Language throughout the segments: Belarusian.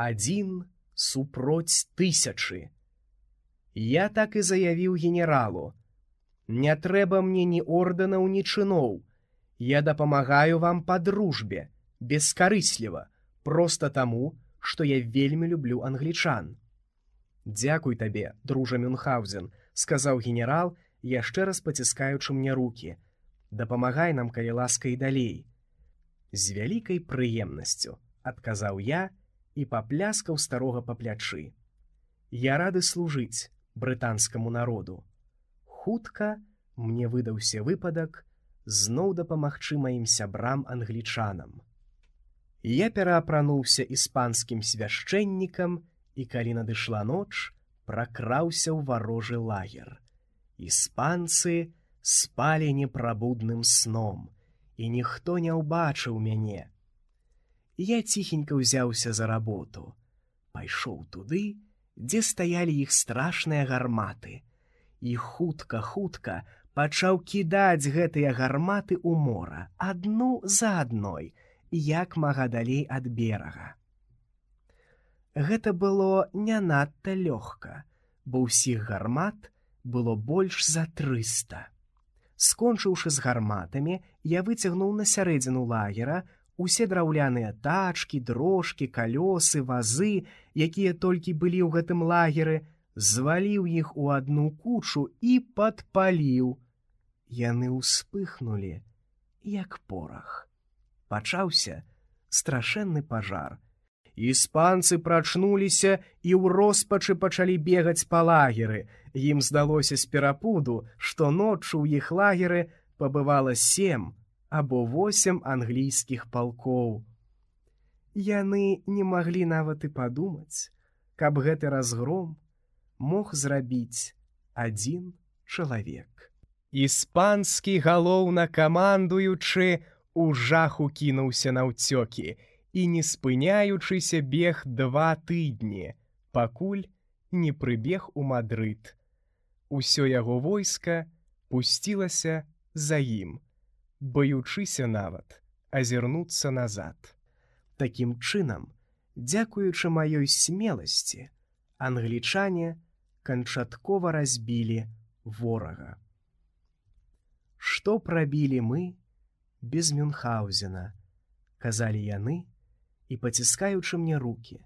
1 супроць 1000. Я так і заявіў генералу: не трэба мне ні ордэнаў, ні чыноў. Я дапамагаю вам па дружбе, бескарысліва, проста таму, што я вельмі люблю англічан. Дзякуй табе, дружа Мюнхгаузен, сказаў генерал, яшчэ раз паціскаючы мне рукі. Дапамагай нам, калі ласка, і далей. З вялікай прыемнасцю, адказаў я і папляскаў старога па плячы. Я рады служыць брытанскаму народу. Хутка мне выдаўся выпадак зноў дапамагчы маім сябрам-англічанам. Я пераапрануўся іспанскім свяшчэннікам і, калі надышла ноч, пракраўся ў варожы лагер. Іспанцы спалі непрабудным сном, і ніхто не ўбачыў мяне. Я ціхенька ўзяўся за работу. Пайшоў туды, дзе стаялі іх страшныя гарматы, і хутка-хутка пачаў кідаць гэтыя гарматы ў мора, адну за адной, як мага далей ад берага. Гэта было не надта лёгка, бо ўсіх гармат было больш за 300. Скончыўшы з гарматамі, я выцягнуў на сярэдзіну лагера усе драўляныя тачкі, дрожкі, калёсы, вазы, якія толькі былі ў гэтым лагеры, зваліў іх у адну кучу і падпаліў. Яны ўспыхнулі, як порах. Пачаўся страшэнны пажар. Іспанцы прачнуліся і ў роспачы пачалі бегаць па лагеры. Ім здалося з перапуду, што ноччу ў іх лагеры пабывала 7 або 8 англійскіх палкоў. Яны не маглі нават і падумаць, каб гэты разгром мог зрабіць 1 чалавек. Іспанскі галоўнакамандуючы у жаху кінуўся наўцёкі і, не спыняючыся, бег 2 тыдні, пакуль не прыбег у Мадрыд. Усё яго войска пусцілася за ім, баючыся нават азірнуцца назад. Такім чынам, дзякуючы маёй смеласці, англічане канчаткова разбілі ворага. Што прабілі мы без Мюнхгаузена, казалі яны і, паціскаючы мне рукі,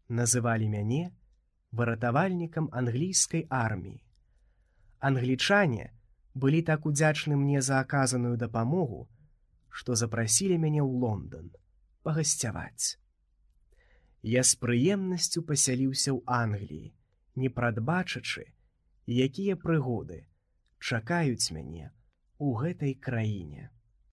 называлі мяне выратавальнікам англійскай арміі. Англічане былі так удзячны мне за аказаную дапамогу, што запрасілі мяне ў Лондан пагасцяваць. Я з прыемнасцю пасяліўся ў Англіі, не прадбачачы, якія прыгоды чакаюць мяне ў гэтай краіне.